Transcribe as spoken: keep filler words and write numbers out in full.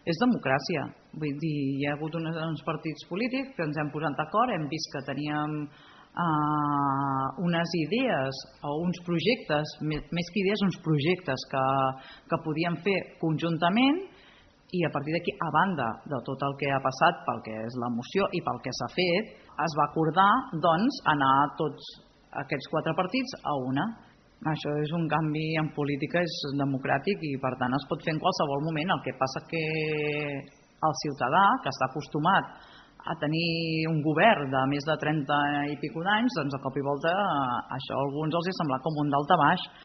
és democràcia. Vull dir, hi ha hagut uns partits polítics que ens hem posat d'acord, hem vist que teníem uh, unes idees o uns projectes, més que idees, uns projectes que, que podíem fer conjuntament, i a partir d'aquí, a banda de tot el que ha passat pel que és la moció i pel que s'ha fet, es va acordar doncs, anar tots aquests quatre partits a una. Això és un canvi en política, és democràtic i per tant es pot fer en qualsevol moment. El que passa que el ciutadà, que està acostumat a tenir un govern de més de trenta i pico d'anys, doncs de cop i volta això a alguns els ha semblat com un daltabaix.